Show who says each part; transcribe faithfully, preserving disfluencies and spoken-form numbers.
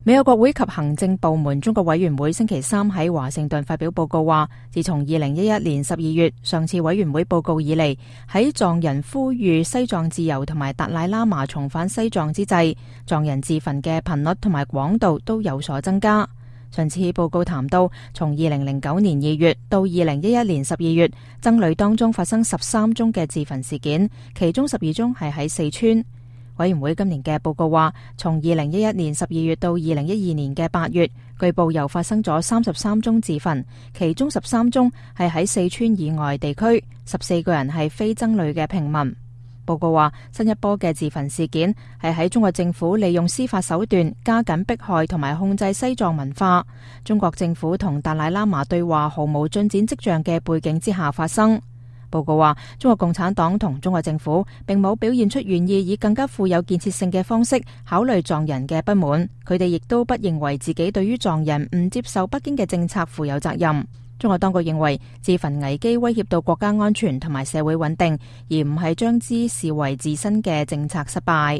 Speaker 1: 美國國會及行政部門中國委員會星期三喺華盛頓發表報告話，自從二零一一年十二月上次委員會報告以嚟，喺藏人呼籲西藏自由同埋達賴喇嘛重返西藏之際，藏人自焚嘅頻率同埋廣度都有所增加。上次報告談到，從二零零九年二月到二零一一年十二月，僧侶當中發生十三宗嘅自焚事件，其中十二宗係喺四川。委員會今年嘅報告話，從二零一一年十二月到二零一二年嘅八月，據報又發生咗三十三宗自焚，其中十三宗係喺四川以外地區，十四個人係非僧侶嘅平民。報告話，新一波嘅自焚事件係喺中國政府利用司法手段加緊迫害同埋控制西藏文化，中國政府同達賴喇嘛對話毫無進展跡象嘅背景之下發生。報告話，中國共產黨同中國政府並冇表現出願意以更加富有建設性嘅方式考慮藏人嘅不滿，佢哋亦都不認為自己對於藏人唔接受北京嘅政策負有責任。中國當局認為自焚危機威脅到國家安全同埋社會穩定，而唔係將之視為自身嘅政策失敗。